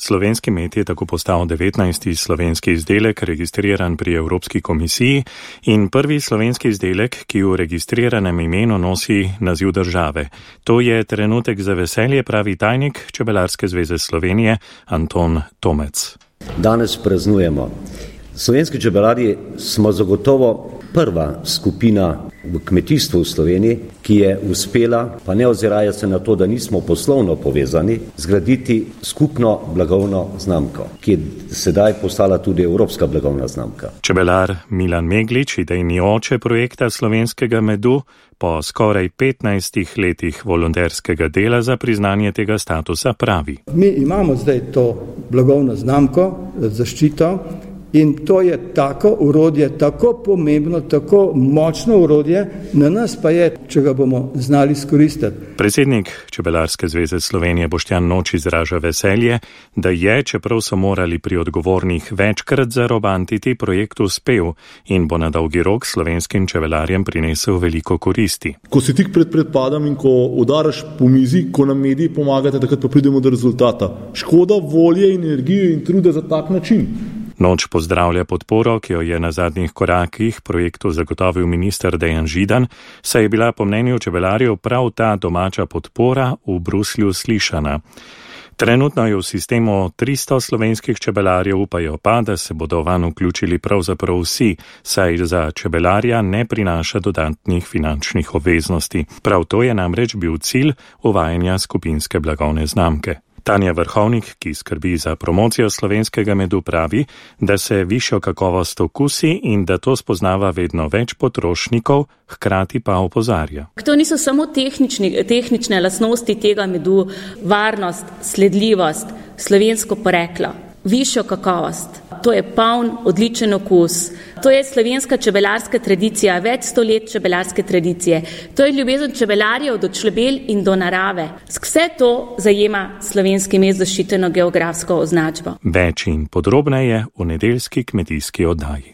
Slovenski med je tako postal 19. slovenski izdelek, registriran pri Evropski komisiji in prvi slovenski izdelek, ki v registriranem imenu nosi naziv države. To je trenutek za veselje, pravi tajnik Čebelarske zveze Slovenije Anton Tomec. Danes praznujemo. Slovenski čebelarji smo zagotovo prva skupina v kmetijstvu v Sloveniji, ki je uspela, pa ne oziraje se na to, da nismo poslovno povezani, zgraditi skupno blagovno znamko, ki je sedaj postala tudi evropska blagovna znamka. Čebelar Milan Meglič, idejni oče projekta slovenskega medu, po skoraj 15 letih volonterskega dela za priznanje tega statusa pravi. Mi imamo zdaj to blagovno znamko, zaščito, in to je tako orodje, tako pomembno, tako močno orodje, na nas pa je, če ga bomo znali izkoristiti. Predsednik Čebelarske zveze Slovenije Boštjan Noč izraža veselje, da je, čeprav so morali pri odgovornih večkrat zarobantiti, projekt uspel in bo na dolgi rok slovenskim čebelarjem prinesel veliko koristi. Ko si tik pred predpadom in ko udaraš po mizi, ko nam mediji pomagate, takrat pa pridemo do rezultata. Škoda volje, energije in truda za tak način. Noč pozdravlja podporo, ki jo je na zadnjih korakih projektu zagotovil minister Dejan Židan, saj je bila po mnenju čebelarjev prav ta domača podpora v Bruslju slišana. Trenutno je v sistemu 300 slovenskih čebelarjev, upajo pa, da se bodo vanj vključili pravzaprav vsi, saj za čebelarja ne prinaša dodatnih finančnih obveznosti. Prav to je namreč bil cilj uvajanja skupinske blagovne znamke. Tanja Vrhovnik, ki skrbi za promocijo slovenskega medu, pravi, da se višjo kakovost okusi in da to spoznava vedno več potrošnikov, hkrati pa opozarja. To niso samo tehnične lastnosti tega medu, varnost, sledljivost, slovensko poreklo, višjo kakovost. To je poln, odličen okus. To je slovenska čebelarska tradicija, več 100 let čebelarske tradicije. To je ljubezen čebelarjev do čebel in do narave. Vse to zajema slovenski med zaščiteno geografsko označbo. Več in podrobneje v nedeljski kmetijski oddaji.